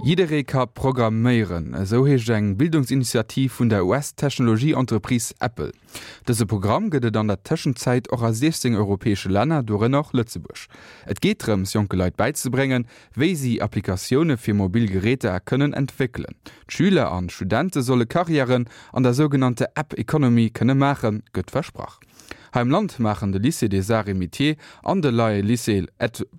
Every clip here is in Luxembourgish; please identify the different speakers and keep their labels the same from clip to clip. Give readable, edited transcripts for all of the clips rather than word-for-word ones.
Speaker 1: Jidderee ka programméieren, esou heescht eng Bildungsinitiativ vun der US-Technologie-Entreprise Apple. Dëse Programm gëtt et an der Tëschenzäit och a 16 europäesche Länner, dorënner och Lëtzebuerg. Et geet drëms, jonke Leit bäizebréngen, wéi si Applikatioune fir mobil Geräter kënnen entwéckelen. D'Schüler an d'Studente solle Karriären an der sougenannter App Economy kënne maachen, gëtt versprach. Hei am Land maachen de Lycée des Arts et Métiers an de Neie Lycée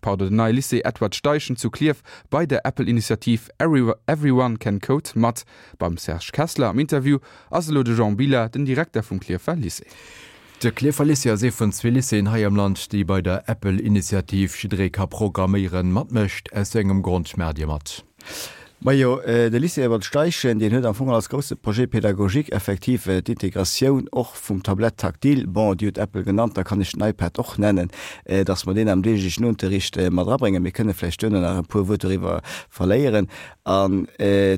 Speaker 1: pardon, den Neie Lycée Edward Steichen zu Klierf bei der Apple-Initiativ Everyone Can Code mat. Beim Serge Kessler am Interview ass elo de Jean Billa, den Direkter vum Klierfer Lycée.
Speaker 2: De Klierfer Lycée ass ee vun zwee Lycéeën hei am Land, déi bei der Apple-Initiativ Jidderee ka programméieren matmécht. Aus wéi engem Grond maacht Dir mat?
Speaker 3: Majo, de Lycée Edward Steichen, deen huet am Fong als grousse Projet pédagogique effektiv d'Integratioun och vum Tablette tactile, bon, Dir hutt Apple genannt, da kann ech den iPad och nennen, dass mer deen am deeglechen Unterricht mat erabréngen. Mir kënne vläicht duerno nach e puer Wuert doriwwer verléieren. An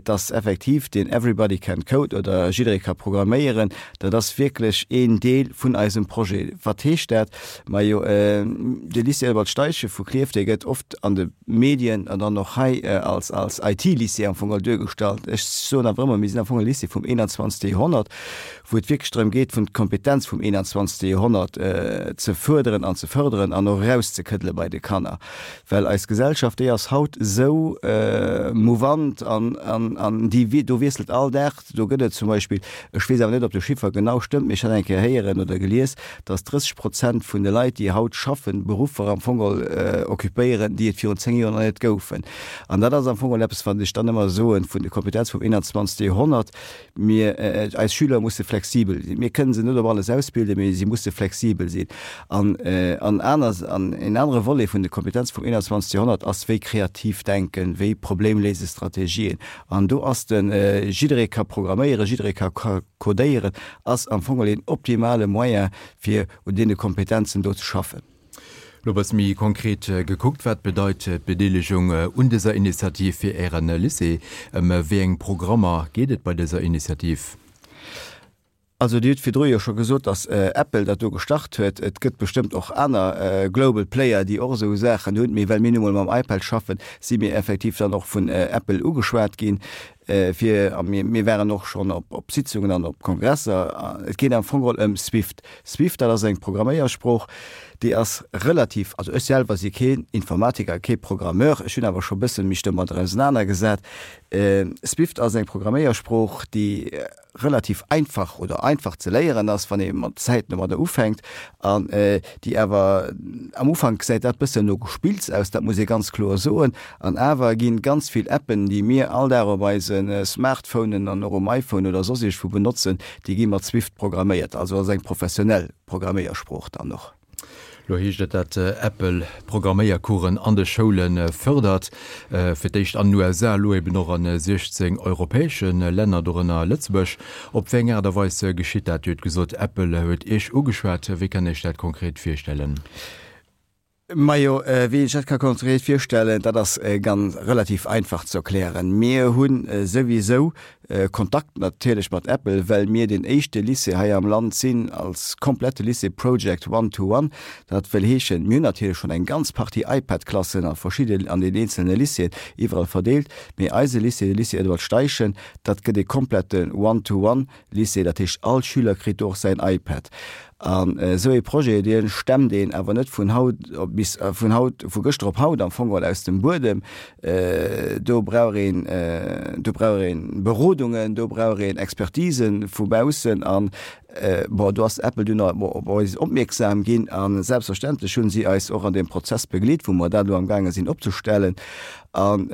Speaker 3: dass effektiv deen Everybody can code oder jidderee ka programméieren, dat ass wierklech een Deel vun eisem Projet. Wat heescht dat? Majo, de Lycée Edward Steichen vu Klierf, dee gëtt oft an de Medien an dann och hei als als IT-Lycée am Fong duergestallt. Ech soen awer ëmmer, mir sinn am Fong e Lycée vum 21. Joerhonnert, wou et wierklech drëm geet, vun d'Kompetenz vum 21. Joerhonnert ze fuerderen an ze fërderen an och erauszekëddele bei de Kanner. Well eis Gesellschaft, déi ass haut esou mouvant an an an déi do wiesselt all Dag. Do gëtt et zum Beispill, ech weess awer net, ob de Chiffer genau stëmmt, mee ech hat eng Kéier héieren oder gelies, dass 30 Prozent vun de Leit, déi haut schaffen, Beruffer am Fong geholl occupéieren, déi et virun 10 Joer nach net goufen. An dat ass am Fong geholl eppes, wat ech dann ëmmer soen, vun de Kompetenz vum 21. Joerhonnert. Mir, eis Schüler musse flexibel sinn. Mir kënnen se net op alles ausbilden, mee si musse flexibel sinn. An, an aner, an en anere Volet vun de Kompetenze vum 21. Joerhonnert ass, wéi kreativ denken, wéi Problemléisestrategien. An do ass de jidderee ka programméieren, jidderee ka codéieren, ass am Fong een optimale Moyen, fir un deene Kompetenzen do ze schaffen.
Speaker 2: Elo e bësse méi konkret gekuckt, Wat bedeit d'Bedeelegung un dëser Initiativ fir Äre Lycée? Ëm wéi eng Programmer geet et bei dëser Initiativ?
Speaker 3: Also Dir hutt virdru jo scho gesot, datt Apple dat do gestart huet. Et gëtt bestëmmt och aner global Player, déi och esou Saachen hunn. Mee well mir nu mol mam iPad schaffen, si mir effektiv dann och vun Apple ugeschwat ginn, fir, a mir, mir waren och schonn op, op Sitzungen an op Kongresser. Et geet am Fong geholl ëm Swift. Swift, dat ass eng Programméiersprooch, déi ass relativ, also ech selwer si keen Informatiker, kee Programmeur, ech hunn awer scho bëssen mech domadder ausenanergesat. Swift ass eng Programméiersprooch, déi relativ einfach oder einfach ze léieren ass, wann ee mat Zäiten domadder ufänkt, an déi awer am Ufank gesäit dat bëssen no Gespills aus, dat muss ee ganz kloer soen, an awer ginn ganz vill Appen, déi mir all Dag op eise Smartphonen an och um iPhone oder soss iergendwou benotzen, déi gi mat Swift programméiert, also ass eng professionell Programméiersprooch dann och.
Speaker 2: Lo heescht et, dat Apple Programméiercoursen an de Schoule fërdert. Fir d'éischt an den USA, elo eben och a 16 europäesche Länner, dorënner Lëtzebuerg. Op wéi eng Aart a Weis geschitt dat? Dir hutt gesot, Apple huet Iech ugeschwat. Wéi kann Iech dat konkret virstellen?
Speaker 3: Majo, wéi een sech dat ka konkret virstellen, dat ass ganz relativ einfach ze erklären. Mir hu souwisou Kontakt natierlech mat Apple, well mir deen éischte Lycée hei am Land sinn als komplette Lycée Project One to One. Dat wëll heeschen, mir hunn natierlech schonn eng ganz Partie iPad-Klassen a verschidde an den eenzelne Lycéeën iwwerall verdeelt, mee eise Lycée, de Lycée Edward Steichen, dat gëtt e komplette One to One Lycée, dat heescht all Schüler kritt do och säin iPad. An esou ee Projet, dee stemmt een awer net vun haut op bis, vun haut, vu gëschter op haut am Fong geholl aus dem Buedem. Do brauch een, do brauch ee Berodungen, do brauch een Expertisen vu baussen. An, bon, do ass Apple dunn op eis opmierksam ginn a selbstverständlech hu si eis och an deem Prozess begleet, wou mer dat elo amgaange sinn opzestellen. An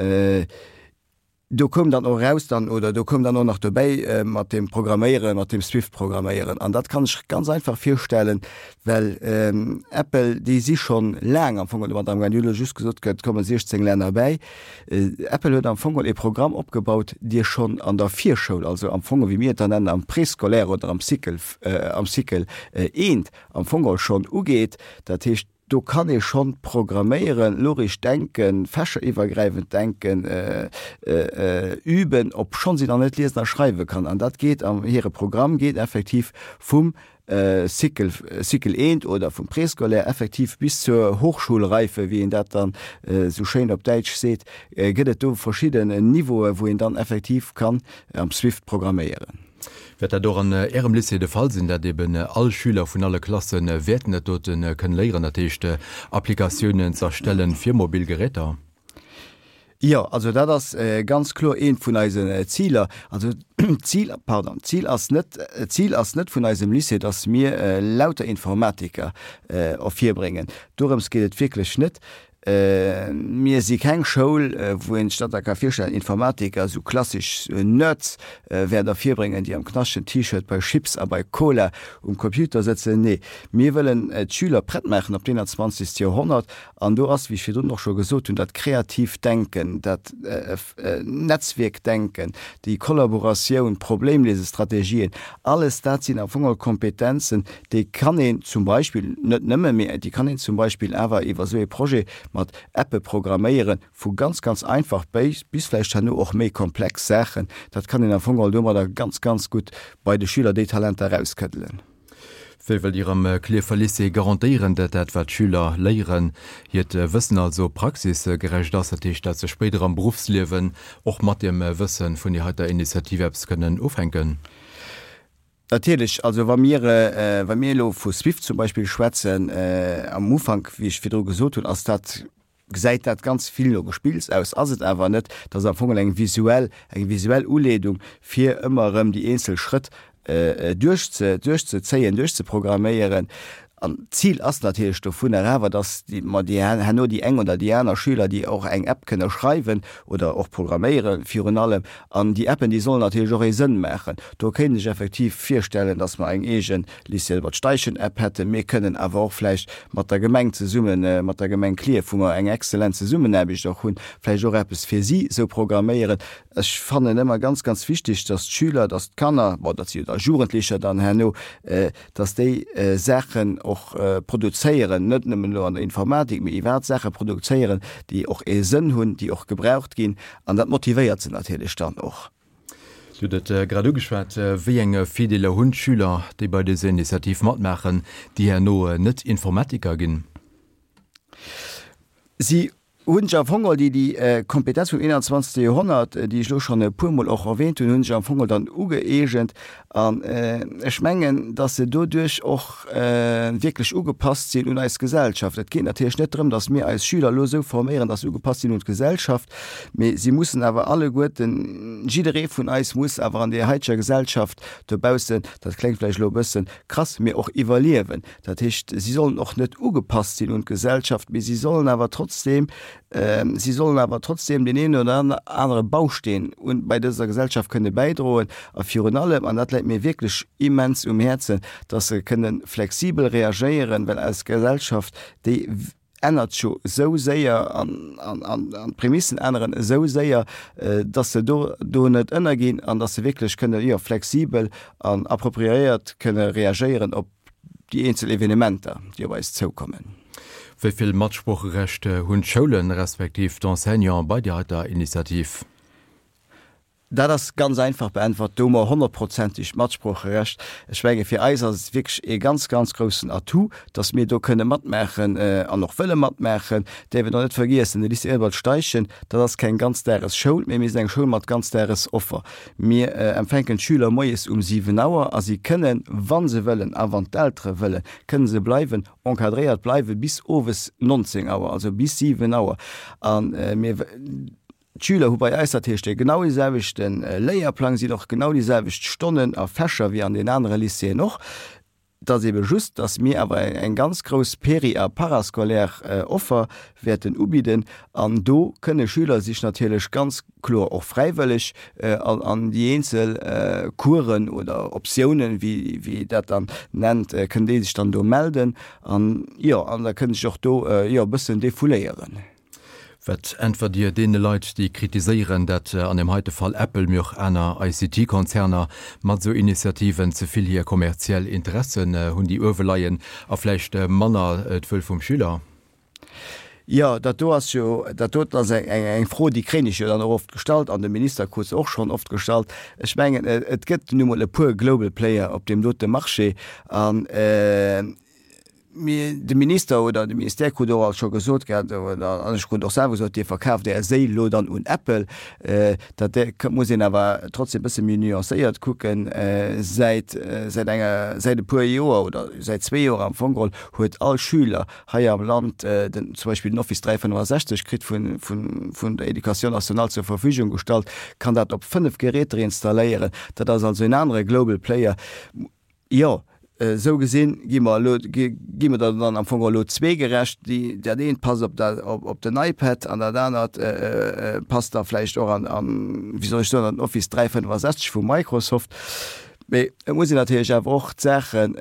Speaker 3: Do koum dann och eraus dann, oder do koum dann och nach dobäi mat deem Programméieren, mat deem Swift-Programméieren. An dat kann ech ganz einfach virstellen, well Apple, déi si schonn laang am Fong domat amgaang. Dir hutt elo just gesot, et komme 16 Länner bäi. Apple huet am Fong e Programm opgebaut, dee schonn an der Virschoul, also am Fong, wéi mir et dann nennen, am Préscolaire oder am Cycle, am Cycle eent am Fong schonn ugeet. Dat heescht. Do kann ee schonn programméieren, logesch denken, fächeriwwergräifend denken üben, obschonns een nach net liesen a schreiwe kann. An dat geet am hire Programm geet effektiv vum Cycle, Cycle eent oder vum Préscolaire effektiv bis zur Hochschulreife, wéi een dat dann esou schéin op Däitsch seet, gëtt et do verschidden Niveaue wou een dann effektiv kann am Swift programméieren.
Speaker 2: Wäert dat och an Ärem Lycée de Fall sinn, dat eben all Schüler vun alle Klasse wäerten dat dote kënnen léieren, dat heescht Applikatiounen z'erstellen fir mobil Geräter?
Speaker 3: Jo, also dat ass ganz kloer eent vun eisen Ziler. Also d'Zil, pardon, d'Zil ass net, d'Zil ass net vun eisem Lycée, dass mir lauter Informatiker ervirbréngen. Dorëms geet et wierklech net. Mir si keng Schoul, wou een sech dat da ka virstellen, Informatiker, esou klassesch Nerds wäert ervirbréngen, déi am knaschtegen T-Shirt bei Chips a bei Cola um Computer sëtzen. Nee, mir wëllen d'Schüler prett maachen op d'Eenanzwanzegst Joerhonnert An do ass, wéi ech virdrun och scho gesot hunn, dat kreatiivt Denken, dat Netzwierkdenken, déi Kollaboratioun, Problemlesestrategien, alles dat sinn am Fong geholl Kompetenzen, déi kann een zum Beispill, net nëmme, mee déi kann een zum Beispill awer iwwer esou ee Projet mat Appe programméieren, vu ganz, ganz einfach bis vläicht herno och méi komplex Saachen. Dat kann een am Fong geholl domadder ganz, ganz gutt bei de Schüler déi Talenter erauskëddelen.
Speaker 2: Wéi wëllt Dir am Klierfer Lycée garantéieren, dat dat wat d'Schüler léieren, hiert Wëssen also praxisgerecht ass, dat heescht dat se spéider am Beruffsliewen och mat deem Wësse vun där heiter Initiativ eppes kënnen ufänken?
Speaker 3: Natierlech, also wa mir, wa mir elo vu Swift zum Beispill schwätzen, am Ufank, wéi ech virdru gesot hunn, ass dat, gesäit dat ganz vill no Gespills aus, ass et awer net. Dat ass am Fong eng visuell, eng visuell Uleedung, fir ëmmer erëm déi eenzel Schrëtt duerchze, duerchzezéien, duerchzeprogramméieren. An d'Zil ass natierlech dovunner awer, dass déi, mer déi herno déi eng oder déi aner Schüler, déi och eng App kënne schreiwen oder och programméieren virun allem, an déi Appen, déi sollen natierlech och ee Sënn maachen. Do kéint ech effektiv virstellen, dass mer eng eegen Lycée Albert Steichen App hätten. Mir kënnen awer och vläicht mat der Gemeng zesummen, mat der Gemeng Clierf, wou mer eng exzellent Zesummenaarbecht och hunn, vläicht och eppes fir si sou programméieren. Ech fannen ëmmer ganz, ganz wichtig, dass d'Schüler, dass d'Kanner, bon, dat si jo da Jugendlecher dann herno, dass déi Saachen och produzéieren, net nëmmen elo an der Informatik, mee iwwerhaapt Saache produzéieren, déi och ee Sënn hunn, déi och gebraucht ginn. An dat motivéiert se natierlech dann och.
Speaker 2: Dir hutt et grad ugeschwat, Wéi eng Virdeeler hunn d'Schüler, déi bei dëser Initiativ matmaachen, déi herno net Informatiker ginn?
Speaker 3: Si hunn sech am Fong geholl déi déi Kompetenz vum 21. Joerhonnert, déi ech elo schonn e puermol och erwähnt hunn, hu sech am Fong geholl dann ugëeegent. An ech mengen, dass se doduerch och wierklech ugepasst sinn un eis Gesellschaft. Et geet natierlech net drëm, dass mir eis Schüler elo esou forméieren, dass se ugepasst sinn un d'Gesellschaft, mee si mussen awer alleguerten, jidderee vun eis muss awer an där haiteger Gesellschaft dobaussen, dat kléngt vläicht elo e bësse krass, mee och iwwerliewen. Dat heescht, si sollen och net ugepasst sinn un d'Gesellschaft, mee si sollen awer trotzdeem, si sollen awer trotzdeem deen een oder anere Bausteen un, bei dëser Gesellschaft kënne bäidroen. A virun allem, an dat läit mir wierklech immens um Häerzen, dass se kënne flexibel reagéieren, well eis Gesellschaft, déi ännert jo esou séier an, an, an, an d'Prämissen änneren esou séier, dass se do, do net ënnerginn an dass se wierklech kënne, jo, flexibel an appropriéiert kënne reagéieren op déi eenzel Evenementer, déi op eis zoukommen.
Speaker 2: Wéi vill Matsproocherecht hunn d'Schoulen, respektiv d'Enseignanten bei där heiter Initiativ?
Speaker 3: Dat ass ganz einfach beäntwert, do hu mer honnertprozenteg Matsproocherecht. Ech menge fir eis ass et wierklech ee ganz, ganz groussen Atout, datt mir do kënne matmaachen an och wëlle matmaachen. Däerf een och net vergiessen, de Lycée Albert Steichen, dat ass keng Ganzdagesschoul, mee mir sinn eng Schoul mat Ganzdagesoffer. Mir empfänken d'Schüler moies um 7 Auer a si kënnen, wa se wëllen a wann d'Eltere wëllen, kënne se bleiwen, encadréiert bleiwe bis owes 19 Auer, also bis 7 Auer. A mir. D'Schüler hu bei eis dat heescht dee genau dee selwechte Léierplang, sinn och genau déi selwecht Stonnen a Fächer wéi an den anere Lycéeën och. Et ass ebe just, datt mir awer eng ganz grouss péri a parascolaire Offer wäerten ubidden an do kënne Schüler sech natierlech ganz kloer och fräiwëlleg an déi eenzel Coursen oder Optiounen, wéi wéi dat dann nennt, kënnen déi sech dann do melden an jo, an da kënnen sech och do jo e bëssen defouléieren.
Speaker 2: Wat äntwert Dir deene Leit, déi kritiséieren, dat an deem heite Fall Apple, mee och aner ICT-Konzerner mat esou Initiativen ze vill hir kommerziell Interessen hunn, déi uewe leien, a vläicht manner d'Wuel vum Schüler?
Speaker 3: Jo, dat do ass jo, dat doten ass eng, eng Fro, déi kréien ech jo dann och oft gestallt an de Minister krut se och schonn oft gestallt. Ech mengen, et gëtt nu mol e puer Global Player op deem dote Marché an mir, de Minister oder de Ministère krut och alt scho gesot gehat, oder an ech krut och selwer gesot, Dir verkaaft Är Séil elo dann un Apple. Dat muss een awer trotzdem e bësse méi nuancéiert kucken. Säit, säit enger, säit e puer Joer oder säit zwee Joer am Fong geholl huet all Schüler hei am Land den, zum Beispill den Office 365 kritt vun, vun, vun der Éducation nationale zur Verfügung gestallt, kann dat op 5 Geräter installéieren. Dat ass also en anere Global Player. Jo, esou gesinn gi mer elo, gi mer der dann am Fong elo zwee gerecht. Déi, dat eent passt op dat, op, op den iPad an dat anert passt da vläicht och an, an, wéi soll ech soen, an den Office 365 vu Microsoft. Mee et muss een natierlech awer och d'Saachen,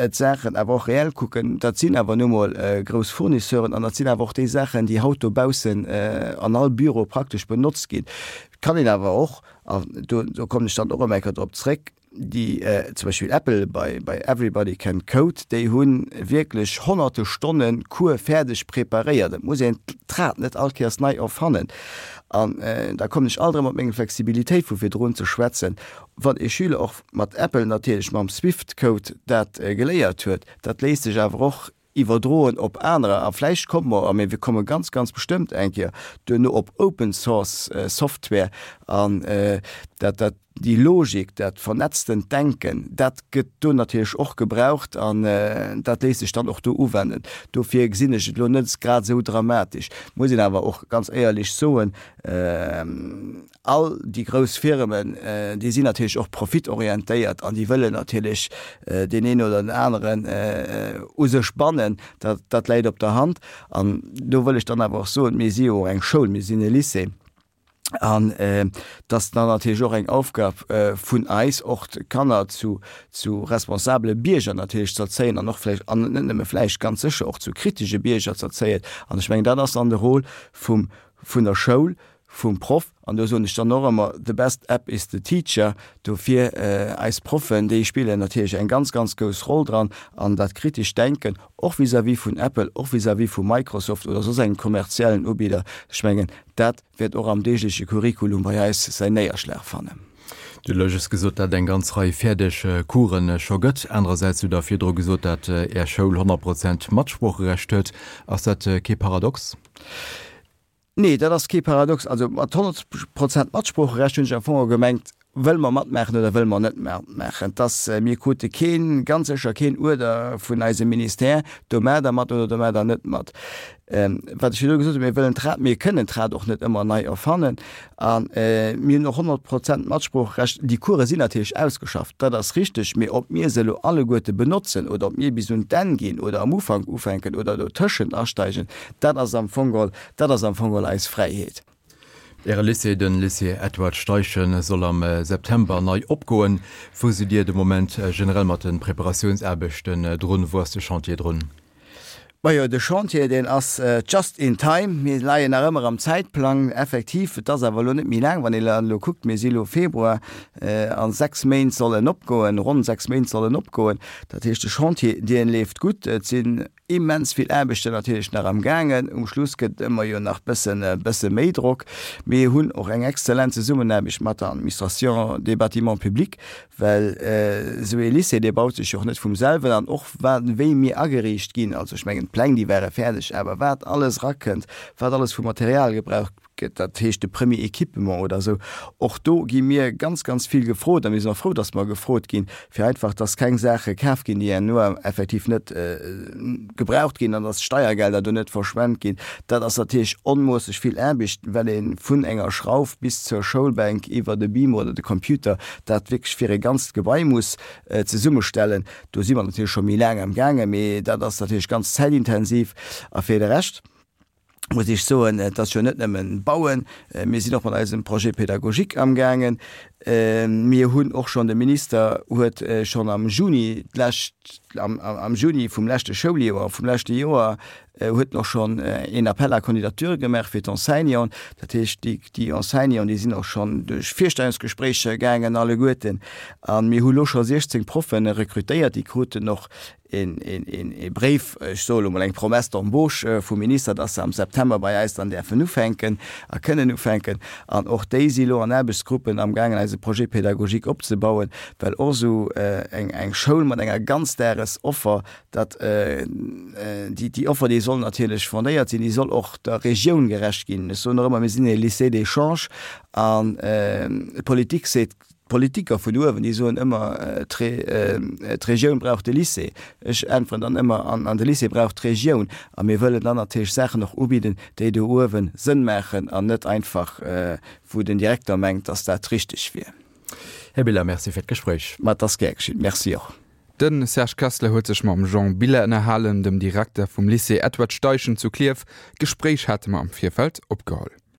Speaker 3: d'Saachen awer och reell kucken. Dat sinn awer nu mol grouss Fournisseuren an dat sinn awer och déi Saachen, déi haut dobaussen an all Büro praktesch benotzt ginn. Et kann een awer och, an do, do kommen ech dann och erëm eng Kéier drop zréck, déi zum Beispill Apple bei, bei Everybody Can Code, déi hu wierklech honnerte Stonne Cours fäerdeg preparéiert. Et muss een d'Rad net all Kéiers nei erfannen. An da kommen ech alt erëm op meng Flexibilitéit vu virdrun ze schwätzen. Wann ee Schüler och mat Apple natierlech mam Swift-Code dat geléiert huet, dat léisst sech awer och iwwerdroen op anerer. A vläicht komme mer, a mir komme ganz, ganz bestëmmt eng Kéier duerno op Open Source Software an dat, dat déi Logik, dat vernetztent Denken, dat gëtt do natierlech och gebraucht an dat léisst sech dann och do uwenden. Dofir gesinn ech et elo net grad esou dramatesch. Muss een awer och ganz éierlech soen, all déi grouss Firmen, déi sinn natierlech och profitorientéiert an déi wëllen natierlech deen een oder den aneren u sech bannen. Dat, dat läit op der Hand. An do wëll ech dann awer och soen, mir si jo och eng Schoul, mir sinn e Lycée. An et ass dann natierlech och eng Aufgab vun eis, och d'Kanner zu, zu responsabele Bierger natierlech ze erzéien an och vläicht, an net nëmme vläicht, ganz sécher och zu kritesche Bierger ze erzéien. An ech mengen, dat ass dann de Rôle vum, vun der Schoul, vum Proff. An do soen ech dann och ëmmer, The best app is the teacher. Dofir, eis Proffen, déi spillen natierlech eng ganz, ganz grouss Roll dran an dat kritescht Denken, och vis-à-vis vun Apple, och vis-à-vis vu Microsoft oder soss engem kommerziellen Ubidder. Ech mengen, dat wäert och am deegleche Curriculum bei eis säin Néierschlag fannen.
Speaker 2: Dir hutt elo just gesot, dat et eng ganz Rei fäerdeg Coursen scho gëtt. Anerersäits hutt Der virdru gesot, dat Är Schoul 100 Prozent Matsproocherecht huet. Ass dat kee Paradox?
Speaker 3: Nee, dat ass kee Paradox. Also mat 100 Prozent Matsproocherecht hunn ech am Fong gemengt, wëlle mer matmaachen oder wëlle mer net matmaachen. Et ass, mir krute keen, ganz sécher keen Uerder vun eisem Ministère, do maacht Der mat oder do maacht Der net mat. Wat ech virdru gesot hunn, mir wëllen d'Rad, mir kënnen d'Rad och net ëmmer nei erfannen a mir hunn och 100 Prozent Matsproocherecht. Déi Course sinn natierlech ausgeschafft, dat ass richteg, mee ob mir se elo alleguerte benotzen oder ob mir bis un d'Enn ginn oder am Ufank ufänken oder dotëschent asteigen, dat ass am Fong geholl Dat ass am Fong geholl eis Fräiheet.
Speaker 2: Äre Lycée, de Lycée Edward Steichen, soll am September nei opgoen. Wou sidd Dir de Moment generell mat de Preparatiounsaarbechten drun? Wou ass de Chantier drun?
Speaker 3: Majo, de Chantier, deen ass just in time. Mir leien nach ëmmer am Zäitplang, effektiv. Et ass awer elo net méi laang, wann een elo kuckt, mir si elo Februar, a 6 Méint soll en opgoen, ronn 6 Méint soll en opgoen. Dat heescht, de Chantier, dee leeft gutt. Et sinn Immens vill Aarbechten natierlech nach am gaangen. Um Schluss gëtt et ëmmer jo nach bëssen bësse méi Drock. Mir hunn och eng exzellent Zesummenaarbecht mat der Administration des bâtiments publics, well esou ee Lycée, dee baut sech jo och net vum selwen an och wat wéi mir ageriicht ginn, also ech mengen d'Pläng déi ware fäerdeg, awer wat alles erakënnt, wat alles vu Material gebraucht gëtt, dat heescht de Premier Équipement oder esou, och do gi mir ganz, ganz vill gefrot a mir sinn och frou, dass mer gefrot ginn, fir einfach, dass keng Saache kaf ginn, déi herno effektiv net gebraucht ginn an dass d'Steiergelder do net verschwent ginn. Dat ass natierlech onmoosseg vill Aarbecht, well ee vun enger Schrauf bis zur Schoulbänk iwwer de Beamer oder de Computer dat wierklech fir e ganzt Gebai muss zesummestellen. Do si mer natierlech scho méi laang amgaangen, mee dat ass natierlech ganz zäitintensiv. A fir de Rescht, muss ech soen, et ass jo net nëmmen Bauen, mir sinn och mat eisem Projet pédagogique amgaangen. Mir hunn och schonn, de Minister huet schonn am Juni d'lescht, am Juni vum leschte Schouljoer, vum leschte Joer, huet en och schonn een Appel à candidatures gemaach fir d'Enseignanten. Dat heescht, déi, déi Enseignanten, déi sinn och schonn duerch Virstellungsgespréicher gaangen alleguerten. A mir hu lo scho 16 Proffe rekrutéiert, déi kruten och een Bréif, ech soe lo mol eng Promesse d'embauche vum Minister, dass se am September bei eis dann däerfen ufänken a kënnen ufänken. An och déi si lo an Aarbechtsgruppen amgaangen eise Projet pédagogique opzebauen, well och esou eng Schoul mat enger Ganzdagesoffer, dat déi Offer, déi soll natierlech fondéiert sinn, déi soll och der Regioun gerecht ginn. Ech soen och ëmmer, mir sinn e Lycée d'échange an d'Politik seet, D'Politiker vun uewen, déi soen ëmmer, d'Regioun brauch de Lycée. Ech äntweren dann ëmmer, an de Lycée brauch d'Regioun. A mir wëllen dann natierlech Saachen och ubidden, déi do uewe Sënn maachen an net einfach, wou den Direkter mengt, datt dat richteg wier.
Speaker 2: Här Biller, Merci fir d'Gespréich.
Speaker 3: Ma et ass gär geschitt. Merci och.
Speaker 1: De Serge Kessler huet sech mam Jean Biller ënnerhalen, dem Direkter vum Lycée Edward Steichen zu Klierf. D'Gespréich hate mer am Virfeld opgeholl.